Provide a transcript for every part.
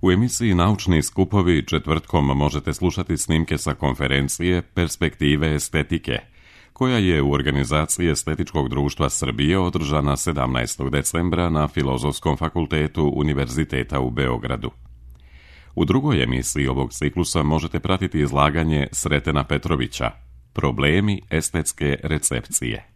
U emisiji Naučni skupovi četvrtkom možete slušati snimke sa konferencije Perspektive estetike, koja je u organizaciji Estetičkog društva Srbije održana 17. decembra na Filozofskom fakultetu Univerziteta u Beogradu. U drugoj emisiji ovog ciklusa možete pratiti izlaganje Sretena Petrovića Problemi estetske recepcije.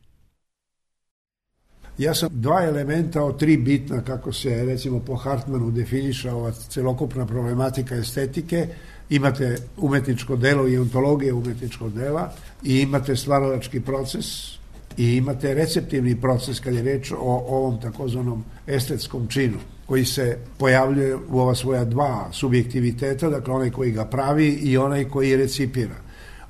Ja sam dva elementa od tri bitna, kako se recimo po Hartmanu definiša ova celokupna problematika estetike. Imate umetničko delo i ontologije umetničkog dela i imate stvaralački proces i imate receptivni proces kad je reč o ovom takozvanom estetskom činu koji se pojavljuje u ova svoja dva subjektiviteta, dakle onaj koji ga pravi i onaj koji recipira.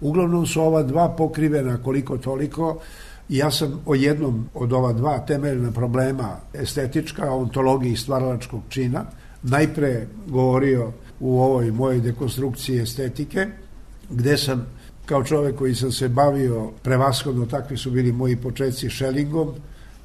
Uglavnom su ova dva pokrivena koliko toliko. Ja sam o jednom od ova dva temeljna problema estetička, ontologiji i stvaralačkog čina najpre govorio u ovoj mojoj dekonstrukciji estetike, gde sam kao čovek koji sam se bavio prevashodno, takvi su bili moji početci, Schellingom,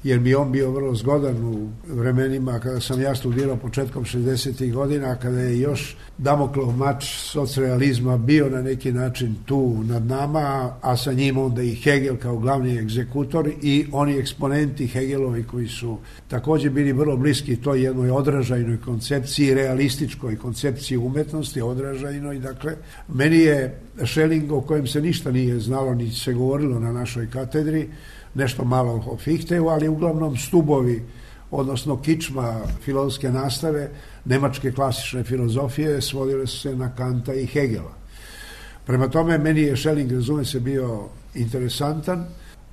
jer mi on bio vrlo zgodan u vremenima kada sam ja studirao početkom 60. godina, kada je još Damoklov mač socrealizma bio na neki način tu nad nama, a sa njim onda i Hegel kao glavni egzekutor i oni eksponenti Hegelovi koji su takođe bili vrlo bliski toj jednoj odražajnoj koncepciji, realističkoj koncepciji umetnosti, odražajnoj. Dakle, meni je Schelling, o kojem se ništa nije znalo, ni se govorilo na našoj katedri, nešto malo o Fichteu, ali uglavnom stubovi, odnosno kičma filozofske nastave, nemačke klasične filozofije, svodile su se na Kanta i Hegela. Prema tome, meni je Schelling, razume se, bio interesantan,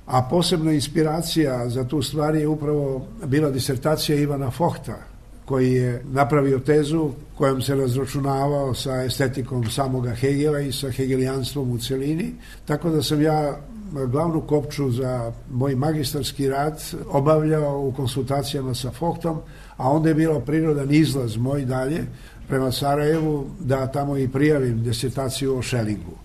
a posebna inspiracija za tu stvar je upravo bila disertacija Ivana Fochta, koji je napravio tezu kojom se razračunavao sa estetikom samoga Hegela i sa hegelijanstvom u celini, tako da sam ja glavnu kopču za moj magistarski rad obavljao u konsultacijama sa Fochtom, a onda je bilo prirodan izlaz moj dalje prema Sarajevu da tamo i prijavim disertaciju o Schellingu.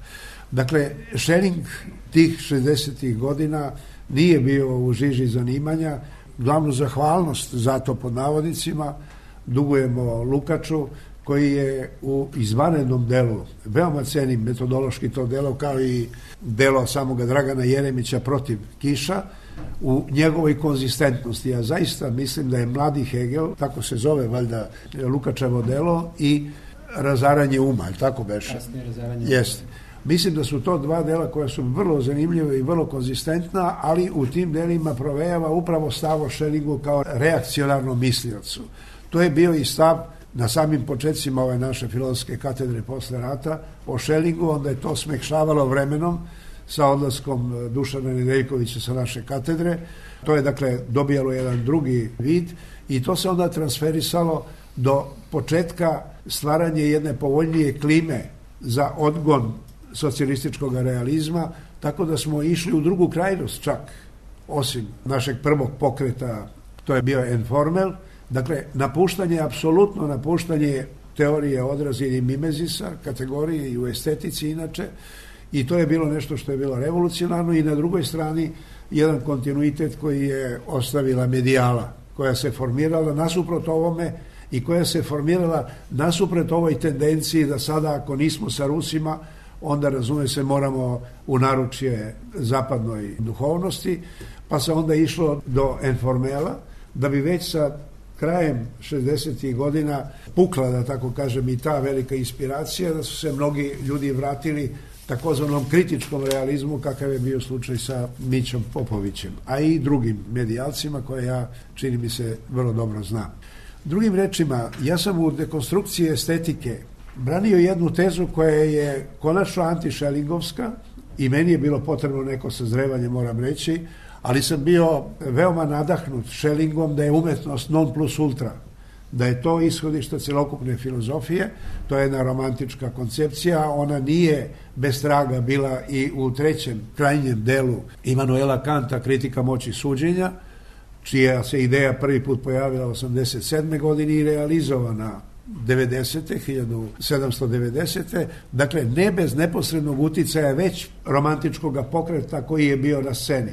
Dakle, Schelling tih 60. godina nije bio u žiži zanimanja. Glavnu zahvalnost za to, pod navodnicima, dugujemo Lukaču, koji je u izvanrednom delu, veoma cenim metodološki to delo, kao i delo samoga Dragana Jeremića Protiv kiša, u njegovoj konzistentnosti. Ja zaista mislim da je Mladi Hegel, tako se zove valjda Lukačevo delo, i Razaranje uma, tako beše? Kasnije Razaranje uma. Jeste. Mislim da su to dva dela koja su vrlo zanimljiva i vrlo konzistentna, ali u tim delima provejava upravo stav o Schellingu kao reakcionarnom misliocu. To je bio i stav na samim početcima ove naše filozofske katedre posle rata o Schellingu, onda je to smekšavalo vremenom sa odlaskom Dušana Nedeljkovića sa naše katedre. To je, dakle, dobijalo jedan drugi vid i to se onda transferisalo do početka stvaranja jedne povoljnije klime za odgon socijalističkog realizma, tako da smo išli u drugu krajnost čak, osim našeg prvog pokreta, to je bio Enformel. Dakle, apsolutno napuštanje teorije odraza ili mimezisa, kategorije i u estetici inače, i to je bilo nešto što je bilo revolucionarno, i na drugoj strani jedan kontinuitet koji je ostavila medijala, koja se formirala nasuprot ovome i koja se formirala nasuprot ovoj tendenciji da sada, ako nismo sa Rusima, onda, razume se, moramo u naručje zapadnoj duhovnosti, pa se onda išlo do Enformela, da bi već sa krajem 60. godina pukla, da tako kažem, i ta velika inspiracija, da su se mnogi ljudi vratili takozvanom kritičkom realizmu, kakav je bio slučaj sa Mićom Popovićem, a i drugim medijalcima koje ja, čini mi se, vrlo dobro znam. Drugim rečima, ja sam u dekonstrukciji estetike branio jednu tezu koja je konačno anti-Schellingovska i meni je bilo potrebno neko sazrevanje, moram reći, ali sam bio veoma nadahnut Schellingom da je umetnost non plus ultra, da je to ishodište celokupne filozofije. To je jedna romantička koncepcija, ona nije bez traga bila i u trećem krajnjem delu Immanuela Kanta, Kritika moći suđenja, čija se ideja prvi put pojavila 87. godine i realizovana 1790. Dakle, ne bez neposrednog uticaja već romantičkog pokreta koji je bio na sceni.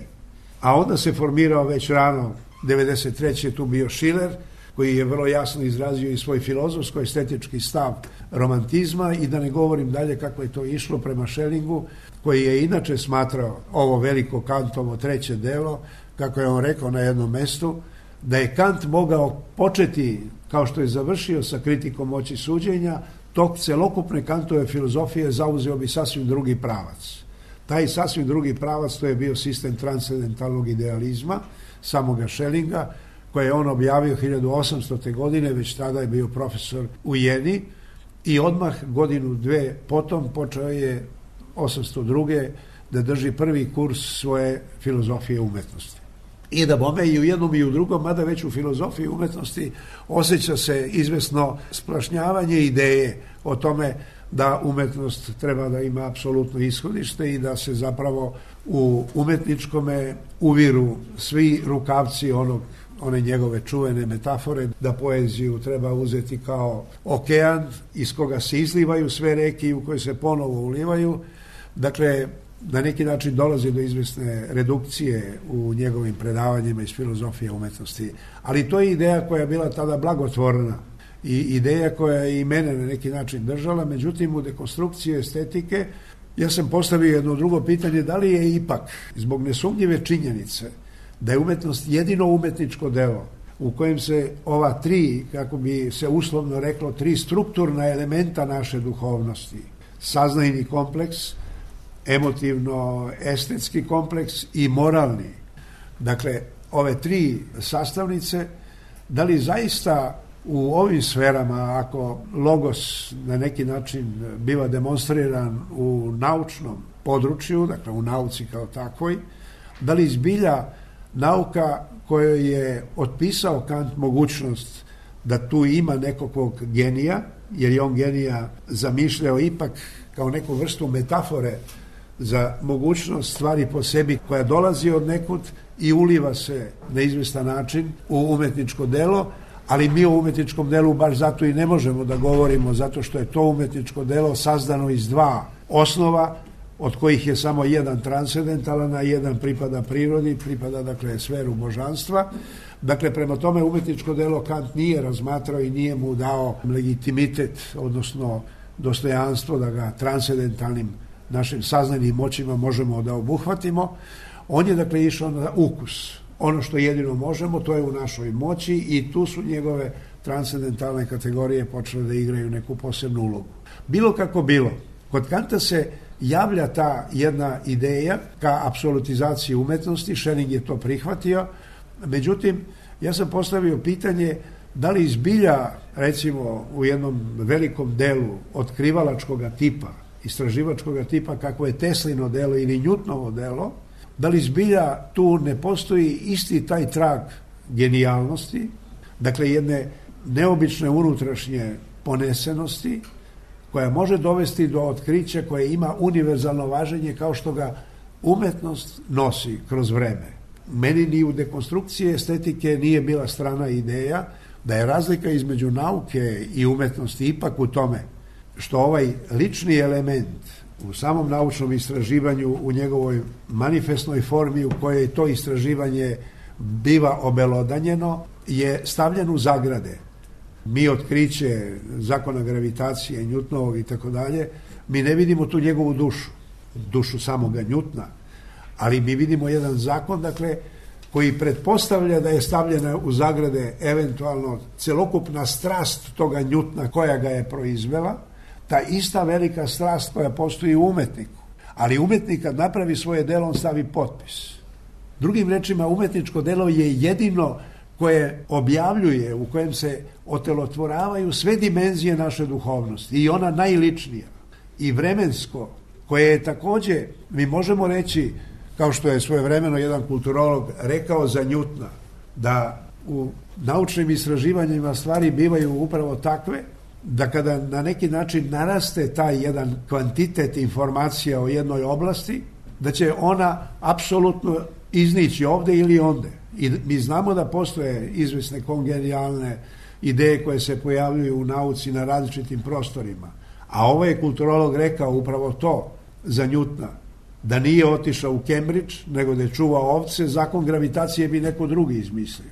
A onda se formirao već rano 93. tu bio Schiller, koji je vrlo jasno izrazio i svoj filozofsko-estetički stav romantizma, i da ne govorim dalje kako je to išlo prema Schellingu, koji je inače smatrao ovo veliko Kantovo treće delo, kako je on rekao na jednom mestu, da je Kant mogao početi, kao što je završio sa kritikom moći suđenja, tok celokupne Kantove filozofije zauzeo bi sasvim drugi pravac. Taj sasvim drugi pravac, to je bio sistem transcendentalnog idealizma samoga Schellinga, koje je on objavio 1800. godine, već tada je bio profesor u Jeni, i odmah godinu, dve potom počeo je 802. da drži prvi kurs svoje filozofije umetnosti. I da bome i u jednom i u drugom, mada već u filozofiji umetnosti osjeća se izvesno splašnjavanje ideje o tome da umetnost treba da ima apsolutno ishodište i da se zapravo u umetničkome uviru svi rukavci one njegove čuvene metafore, da poeziju treba uzeti kao okean iz koga se izlivaju sve reke i u koje se ponovo ulivaju. Dakle, na neki način dolazi do izvesne redukcije u njegovim predavanjima iz filozofije umetnosti. Ali to je ideja koja je bila tada blagotvorna i ideja koja je i mene na neki način držala. Međutim, u dekonstrukciji estetike ja sam postavio jedno drugo pitanje, da li je ipak zbog nesumnjive činjenice da je umetnost jedino umetničko delo u kojem se ova tri, kako bi se uslovno reklo, tri strukturna elementa naše duhovnosti, saznajni kompleks, emotivno-estetski kompleks i moralni, dakle, ove tri sastavnice, da li zaista u ovim sferama, ako logos na neki način biva demonstriran u naučnom području, dakle u nauci kao takvoj, da li zbilja nauka kojoj je otpisao Kant mogućnost da tu ima nekog genija, jer je on genija zamišljao ipak kao neku vrstu metafore za mogućnost stvari po sebi koja dolazi od nekud i uliva se na izvestan način u umetničko delo, ali mi o umetničkom delu baš zato i ne možemo da govorimo, zato što je to umetničko delo sazdano iz dva osnova, od kojih je samo jedan transcendentalan, a jedan pripada prirodi, pripada dakle sferu božanstva. Dakle, prema tome umetničko delo Kant nije razmatrao i nije mu dao legitimitet, odnosno dostojanstvo da ga transcendentalnim našim saznajnim moćima možemo da obuhvatimo. On je dakle išao na ukus. Ono što jedino možemo, to je u našoj moći, i tu su njegove transcendentalne kategorije počele da igraju neku posebnu ulogu. Bilo kako bilo, kod Kanta se javlja ta jedna ideja ka apsolutizaciji umetnosti, Schelling je to prihvatio, međutim, ja sam postavio pitanje da li zbilja, recimo, u jednom velikom delu otkrivalačkog tipa, istraživačkog tipa, kako je Teslino delo ili Newtonovo delo, da li zbilja tu ne postoji isti taj trag genijalnosti, dakle jedne neobične unutrašnje ponesenosti, koja može dovesti do otkrića koje ima univerzalno važenje kao što ga umetnost nosi kroz vreme. Meni ni u dekonstrukciji estetike nije bila strana ideja da je razlika između nauke i umetnosti ipak u tome što ovaj lični element u samom naučnom istraživanju, u njegovoj manifestnoj formi u kojoj to istraživanje biva obelodanjeno, je stavljen u zagrade. Mi otkriće zakona gravitacije, Newtonovog i tako dalje, mi ne vidimo tu njegovu dušu samoga Newtona, ali mi vidimo jedan zakon, dakle, koji pretpostavlja da je stavljena u zagrade eventualno celokupna strast toga Newtona koja ga je proizvela, ta ista velika strast koja postoji u umetniku. Ali umetnik kad napravi svoje delo, on stavi potpis. Drugim rečima, umetničko delo je jedino koje objavljuje, u kojem se otelotvoravaju sve dimenzije naše duhovnosti, i ona najličnija i vremensko, koje je takođe, mi možemo reći, kao što je svojevremeno jedan kulturolog rekao za Newtona, da u naučnim istraživanjima stvari bivaju upravo takve da kada na neki način naraste taj jedan kvantitet informacija o jednoj oblasti, da će ona apsolutno iznići ovde ili onde. I mi znamo da postoje izvesne kongenijalne ideje koje se pojavljuju u nauci na različitim prostorima. A ovaj je kulturolog rekao upravo to za Newtona, da nije otišao u Cambridge, nego da je čuvao ovce, zakon gravitacije bi neko drugi izmislio.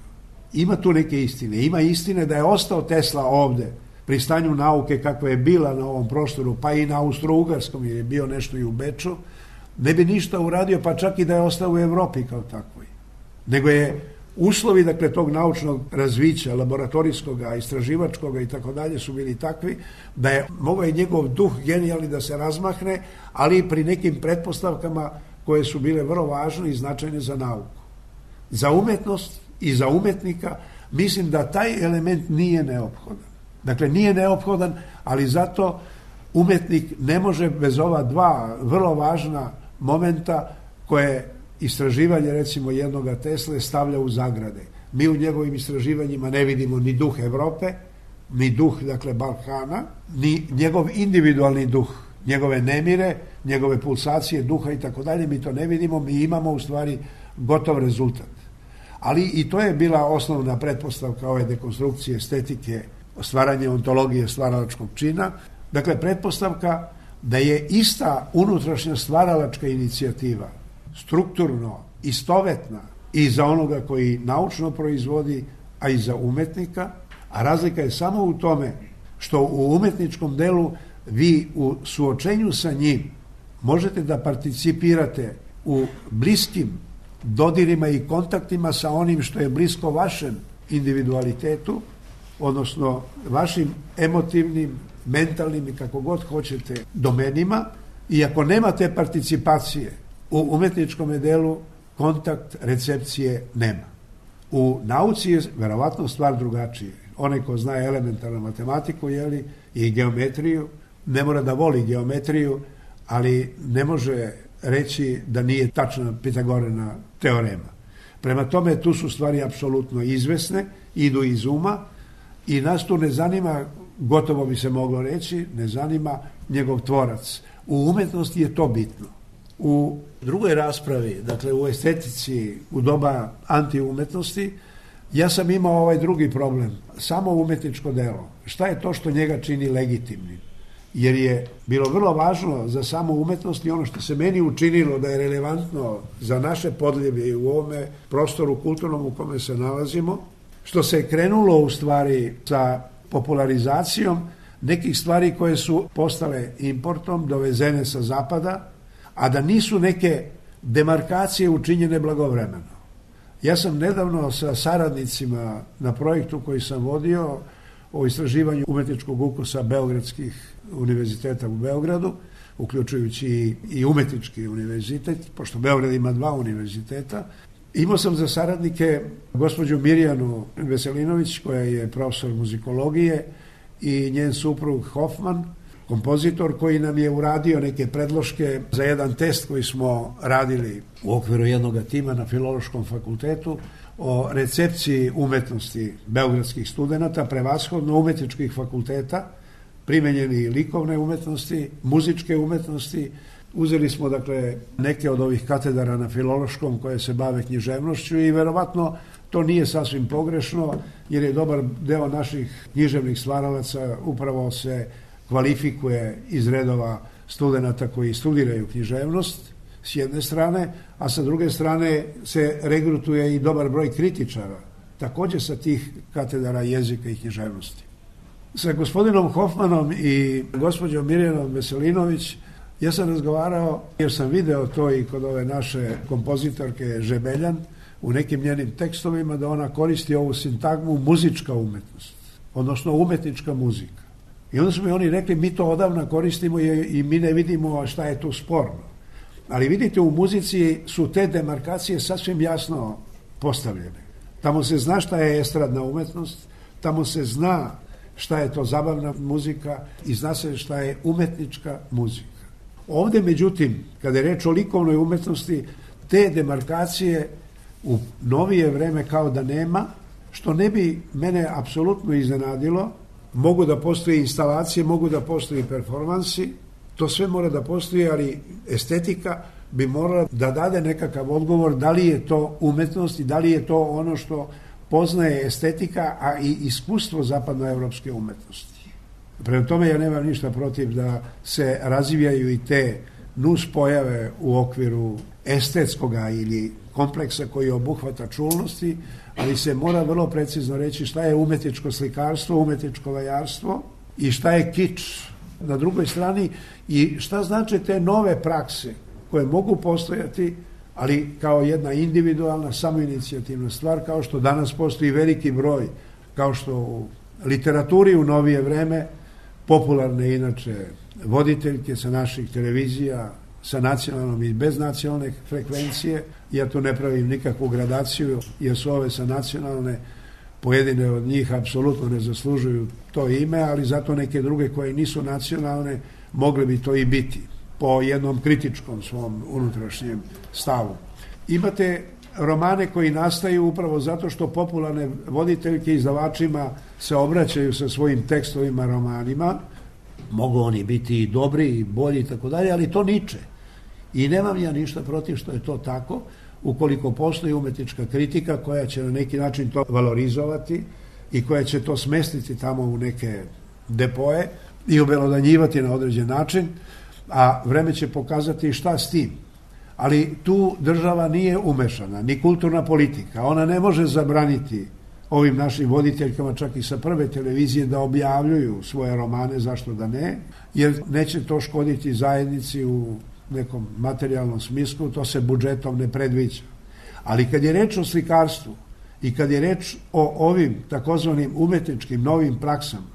ima tu neke istine. Ima istine da je ostao Tesla ovde pri stanju nauke kakva je bila na ovom prostoru, pa i na Austro-Ugarskom, jer je bio nešto i u Beču, ne bi ništa uradio, pa čak i da je ostao u Evropi kao takvoj. Nego je uslovi, dakle, tog naučnog razvića, laboratorijskog, istraživačkog i tako dalje su bili takvi da je mogao i njegov duh genijalni da se razmahne, ali i pri nekim pretpostavkama koje su bile vrlo važne i značajne za nauku. Za umetnost i za umetnika mislim da taj element nije neophodan. Dakle, nije neophodan, ali zato umetnik ne može bez ova dva vrlo važna momenta koje istraživanje, recimo, jednoga Tesle stavlja u zagrade. Mi u njegovim istraživanjima ne vidimo ni duh Evrope, ni duh, dakle, Balkana, ni njegov individualni duh, njegove nemire, njegove pulsacije duha i tako dalje, mi to ne vidimo, mi imamo u stvari gotov rezultat. Ali i to je bila osnovna pretpostavka ove dekonstrukcije estetike, stvaranje ontologije stvaralačkog čina. Dakle, pretpostavka da je ista unutrašnja stvaralačka inicijativa strukturno istovetna i za onoga koji naučno proizvodi, a i za umetnika, a razlika je samo u tome što u umetničkom delu vi u suočenju sa njim možete da participirate u bliskim dodirima i kontaktima sa onim što je blisko vašem individualitetu, odnosno vašim emotivnim, mentalnim i kako god hoćete domenima, i ako nemate participacije u umetničkom delu, kontakt recepcije nema. U nauci je verovatno stvar drugačije. Onaj ko zna elementarnu matematiku, jeli, i geometriju, ne mora da voli geometriju, ali ne može reći da nije tačna Pitagorina teorema. Prema tome, tu su stvari apsolutno izvesne, idu iz uma i nas tu ne zanima, gotovo bi se moglo reći, ne zanima njegov tvorac. U umetnosti je to bitno. U drugoj raspravi, dakle u estetici, u doba antiumetnosti, ja sam imao ovaj drugi problem, samo umetničko delo. Šta je to što njega čini legitimnim? Jer je bilo vrlo važno za samu umetnost i ono što se meni učinilo da je relevantno za naše podljeblje u ovome prostoru kulturnom u kome se nalazimo, što se je krenulo u stvari sa popularizacijom nekih stvari koje su postale importom, dovezene sa zapada, a da nisu neke demarkacije učinjene blagovremeno. Ja sam nedavno sa saradnicima na projektu koji sam vodio o istraživanju umetničkog ukusa beogradskih univerziteta u Beogradu, uključujući i umetnički univerzitet, pošto Beograd ima 2 univerziteta. Imao sam za saradnike gospođu Mirjanu Veselinović, koja je profesor muzikologije, i njen suprug Hoffman, kompozitor, koji nam je uradio neke predloške za jedan test koji smo radili u okviru jednog tima na Filološkom fakultetu o recepciji umetnosti beogradskih studenata, prevashodno umetničkih fakulteta, primenjeni likovne umetnosti, muzičke umetnosti. Uzeli smo, dakle, neke od ovih katedara na Filološkom koje se bave književnošću i verovatno to nije sasvim pogrešno, jer je dobar deo naših književnih stvaralaca upravo se kvalifikuje iz redova studenata koji studiraju književnost s jedne strane, a sa druge strane se regrutuje i dobar broj kritičara, također sa tih katedara jezika i književnosti. Sa gospodinom Hoffmanom i gospođom Mirjanom Veselinović ja sam razgovarao, jer sam video to i kod ove naše kompozitorke Žebeljan u nekim njenim tekstovima, da ona koristi ovu sintagmu muzička umetnost, odnosno umetnička muzika. I onda su mi oni rekli, mi to odavna koristimo i mi ne vidimo šta je tu sporno. Ali vidite, u muzici su te demarkacije sasvim jasno postavljene. Tamo se zna šta je estradna umetnost, tamo se zna šta je to zabavna muzika i zna se šta je umetnička muzika. Ovde, međutim, kada je reč o likovnoj umetnosti, te demarkacije u novije vreme kao da nema, što ne bi mene apsolutno iznenadilo. Mogu da postoje instalacije, mogu da postoje performansi, to sve mora da postoji, ali estetika bi morala da dade nekakav odgovor da li je to umetnost i da li je to ono što poznaje estetika, a i iskustvo zapadnoevropske umetnosti. Prema tome, ja nemam ništa protiv da se razvijaju i te nus pojave u okviru estetskoga ili kompleksa koji obuhvata čulnosti, ali se mora vrlo precizno reći šta je umetničko slikarstvo, umetničko vajarstvo i šta je kič na drugoj strani i šta znače te nove prakse koje mogu postojati, ali kao jedna individualna, samoinicijativna stvar, kao što danas postoji veliki broj, kao što u literaturi u novije vreme, popularne inače voditeljke sa naših televizija, sa nacionalnom i bez nacionalne frekvencije. Ja tu ne pravim nikakvu gradaciju, jer su ove sa nacionalne, pojedine od njih apsolutno ne zaslužuju to ime, ali zato neke druge koje nisu nacionalne mogle bi to i biti, po jednom kritičkom svom unutrašnjem stavu. Imate romane koji nastaju upravo zato što popularne voditeljke izdavačima se obraćaju sa svojim tekstovima, romanima. Mogu oni biti i dobri i bolji i tako dalje, ali to niče. I nemam ja ništa protiv što je to tako, ukoliko postoji umetnička kritika koja će na neki način to valorizovati i koja će to smestiti tamo u neke depoje i obelodanjivati na određen način, a vreme će pokazati šta s tim. Ali tu država nije umešana, ni kulturna politika. Ona ne može zabraniti ovim našim voditeljkama, čak i sa prve televizije, da objavljuju svoje romane, zašto da ne, jer neće to škoditi zajednici u nekom materijalnom smislu, to se budžetom ne predviđa. Ali kad je reč o slikarstvu i kad je reč o ovim takozvanim umetničkim novim praksama,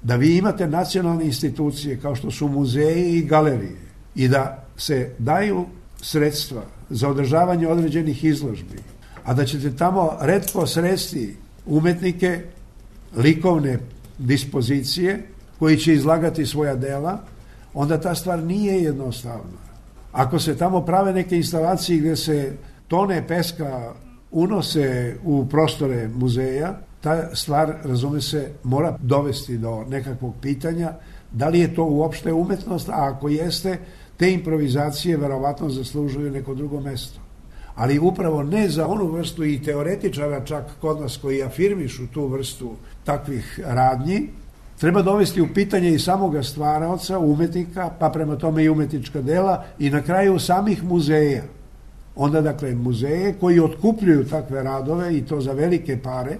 da vi imate nacionalne institucije kao što su muzeji i galerije i da se daju sredstva za održavanje određenih izložbi, a da ćete tamo retko sresti umetnike likovne dispozicije koji će izlagati svoja dela, onda ta stvar nije jednostavna. Ako se tamo prave neke instalacije gdje se tone peska unose u prostore muzeja, ta stvar, razume se, mora dovesti do nekakvog pitanja da li je to uopšte umetnost, a ako jeste, te improvizacije verovatno zaslužuju neko drugo mesto. Ali upravo ne za onu vrstu i teoretičara čak kod nas koji afirmišu tu vrstu takvih radnji, treba dovesti u pitanje i samoga stvaraoca, umetnika, pa prema tome i umetnička dela i na kraju samih muzeja. Onda dakle muzeje koji otkupljuju takve radove i to za velike pare,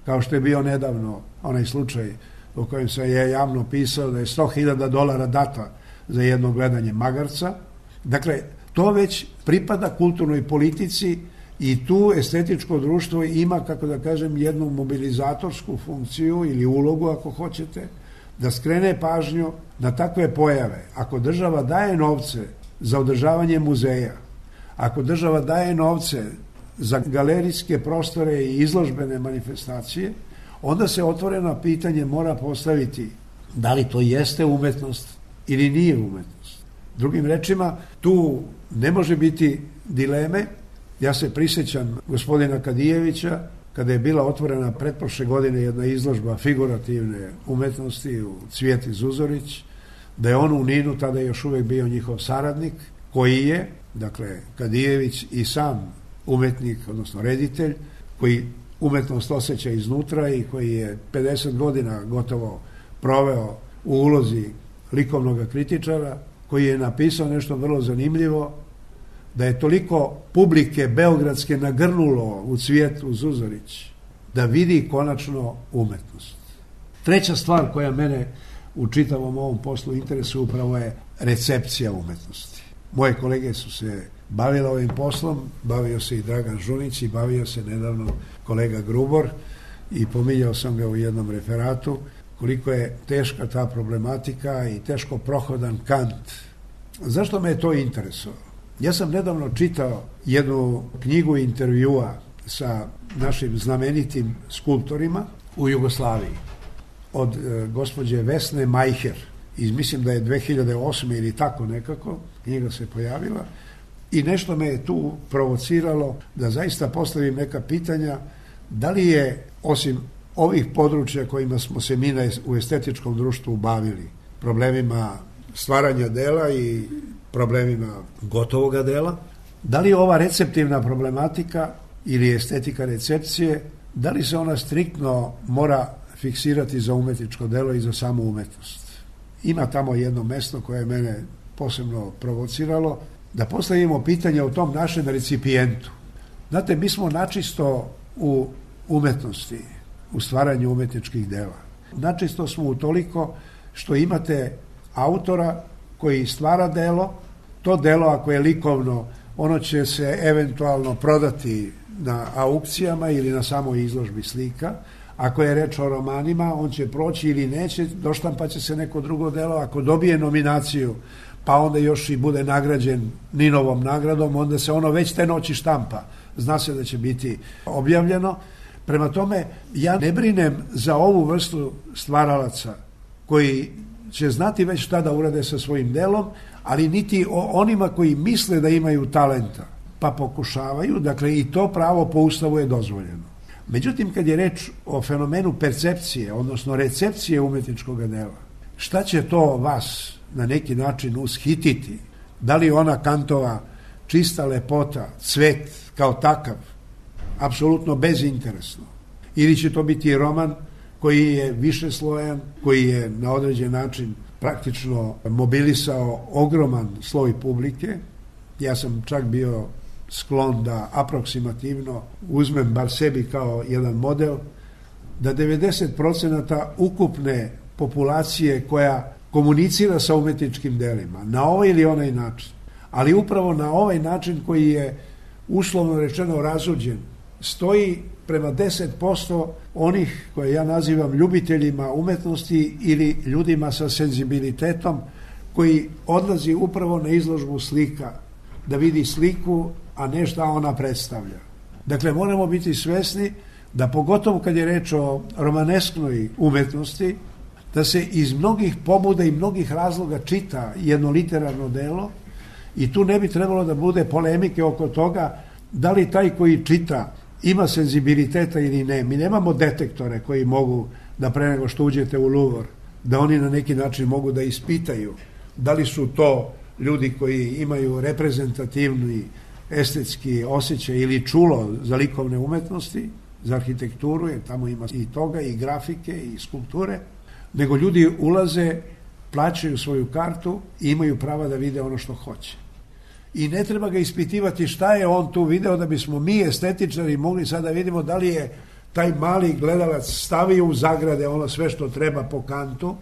kao što je bio nedavno onaj slučaj o kojem sam je javno pisao da je $100.000 data za jedno gledanje magarca. Dakle, to već pripada kulturnoj politici i tu estetičko društvo ima, kako da kažem, jednu mobilizatorsku funkciju ili ulogu, ako hoćete, da skrene pažnju na takve pojave. Ako država daje novce za održavanje muzeja, ako država daje novce za galerijske prostore i izložbene manifestacije, onda se otvoreno pitanje mora postaviti da li to jeste umetnost ili nije umetnost. Drugim rečima, tu ne može biti dileme. Ja se prisjećam gospodina Kadijevića, kada je bila otvorena pretprošle godine jedna izložba figurativne umetnosti u Cvijeti Zuzorić, da je on u Ninu tada još uvijek bio njihov saradnik, koji je, dakle, Kadijević i sam umetnik, odnosno reditelj, koji umetnost osjeća iznutra i koji je 50 godina gotovo proveo u ulozi likovnog kritičara, koji je napisao nešto vrlo zanimljivo, da je toliko publike beogradske nagrnulo u Cvijetu Zuzorić da vidi konačno umetnost. Treća stvar koja mene u čitavom ovom poslu interesuje upravo je recepcija umetnosti. Moje kolege su se bavile ovim poslom, bavio se i Dragan Žunić i bavio se nedavno kolega Grubor i pominjao sam ga u jednom referatu koliko je teška ta problematika i teško prohodan kant. Zašto me je to interesovalo? Ja sam nedavno čitao jednu knjigu intervjua sa našim znamenitim skulptorima u Jugoslaviji od gospođe Vesne Majher. I mislim da je 2008. ili tako nekako knjiga se pojavila i nešto me je tu provociralo da zaista postavim neka pitanja da li je osim ovih područja kojima smo se mi u estetičkom društvu bavili, problemima stvaranja dela i problemima gotovoga dela, da li ova receptivna problematika ili estetika recepcije, da li se ona striktno mora fiksirati za umetničko delo i za samu umetnost. Ima tamo jedno mesto koje je mene posebno provociralo, da postavimo pitanje o tom našem recipijentu. Znate, mi smo načisto u umetnosti, u stvaranju umetničkih dela. Načisto smo utoliko što imate autora koji stvara delo, to delo ako je likovno, ono će se eventualno prodati na aukcijama ili na samoj izložbi slika. Ako je reč o romanima, on će proći ili neće, doštampat će se neko drugo delo. Ako dobije nominaciju, pa onda još i bude nagrađen Ninovom nagradom, onda se ono već te noći štampa. Zna se da će biti objavljeno. Prema tome, ja ne brinem za ovu vrstu stvaralaca koji će znati već šta da urade sa svojim delom, ali niti o onima koji misle da imaju talenta, pa pokušavaju, dakle i to pravo po Ustavu je dozvoljeno. Međutim, kad je reč o fenomenu percepcije, odnosno recepcije umetničkog dela, šta će to vas na neki način ushititi? Da li ona Kantova čista lepota, cvet kao takav, apsolutno bezinteresno, ili će to biti roman koji je višeslojan, koji je na određen način praktično mobilisao ogroman sloj publike. Ja sam čak bio sklon da aproksimativno uzmem bar sebi kao jedan model, da 90% ukupne populacije koja komunicira sa umetničkim delima na ovaj ili onaj način, ali upravo na ovaj način koji je uslovno rečeno razuđen, stoji prema 10% onih koje ja nazivam ljubiteljima umetnosti ili ljudima sa senzibilitetom koji odlazi upravo na izložbu slika, da vidi sliku, a ne šta ona predstavlja. Dakle, moramo biti svesni da pogotovo kad je reč o romanesknoj umetnosti, da se iz mnogih pobuda i mnogih razloga čita jedno literarno delo i tu ne bi trebalo da bude polemike oko toga da li taj koji čita ima senzibiliteta ili ne. Mi nemamo detektore koji mogu da pre nego što uđete u Louvre, da oni na neki način mogu da ispitaju da li su to ljudi koji imaju reprezentativni estetski osjećaj ili čulo za likovne umetnosti, za arhitekturu, jer tamo ima i toga, i grafike, i skulpture, nego ljudi ulaze, plaćaju svoju kartu i imaju prava da vide ono što hoće. I ne treba ga ispitivati šta je on tu video da bismo mi estetičari mogli sad da vidimo da li je taj mali gledalac stavio u zagrade ono sve što treba po Kantu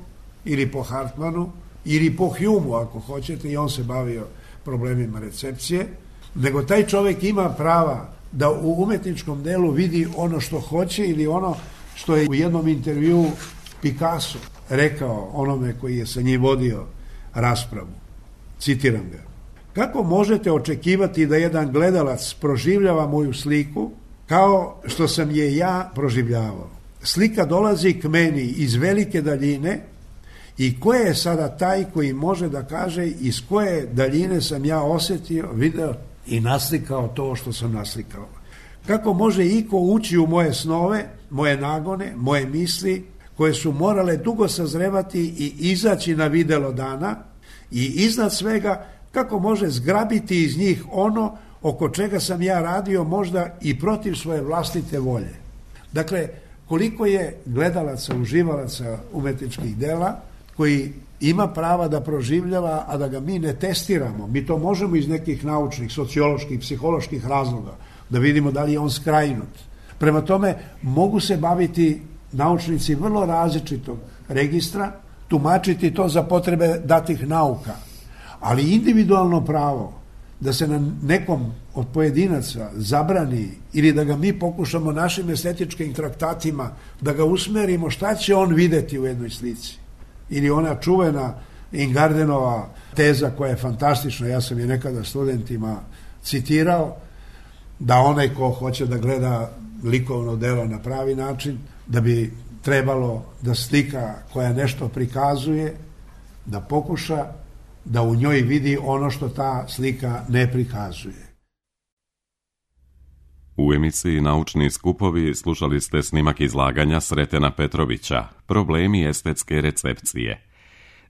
ili po Hartmanu ili po Humu ako hoćete, i on se bavio problemima recepcije, nego taj čovjek ima prava da u umetničkom delu vidi ono što hoće ili ono što je u jednom intervjuu Picasso rekao onome koji je sa njim vodio raspravu. Citiram ga. Kako možete očekivati da jedan gledalac proživljava moju sliku kao što sam je ja proživljavao? Slika dolazi k meni iz velike daljine i ko je sada taj koji može da kaže iz koje daljine sam ja osjetio, video i naslikao to što sam naslikao? Kako može iko ući u moje snove, moje nagone, moje misli koje su morale dugo sazrevati i izaći na videlo dana i iznad svega kako može zgrabiti iz njih ono oko čega sam ja radio možda i protiv svoje vlastite volje. Dakle, koliko je gledalaca, uživalaca umetničkih dela koji ima prava da proživljava, a da ga mi ne testiramo. Mi to možemo iz nekih naučnih, socioloških, psiholoških razloga da vidimo da li je on skrajnut. Prema tome, mogu se baviti naučnici vrlo različitog registra, tumačiti to za potrebe datih nauka, ali individualno pravo da se na nekom od pojedinaca zabrani ili da ga mi pokušamo našim estetičkim traktatima da ga usmerimo šta će on videti u jednoj slici. Ili ona čuvena Ingardenova teza koja je fantastična, ja sam je nekada studentima citirao, da onaj ko hoće da gleda likovno delo na pravi način, da bi trebalo da slika koja nešto prikazuje, da pokuša da u njoj vidi ono što ta slika ne prikazuje. U emisiji Naučni skupovi slušali ste snimak izlaganja Sretena Petrovića Problemi estetske recepcije.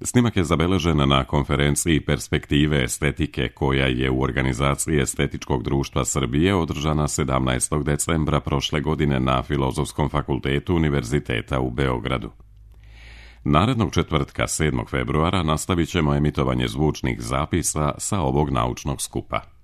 Snimak je zabeležen na konferenciji Perspektive estetike koja je u organizaciji Estetičkog društva Srbije održana 17. decembra prošle godine na Filozofskom fakultetu Univerziteta u Beogradu. Narednog četvrtka 7. februara nastavit ćemo emitovanje zvučnih zapisa sa ovog naučnog skupa.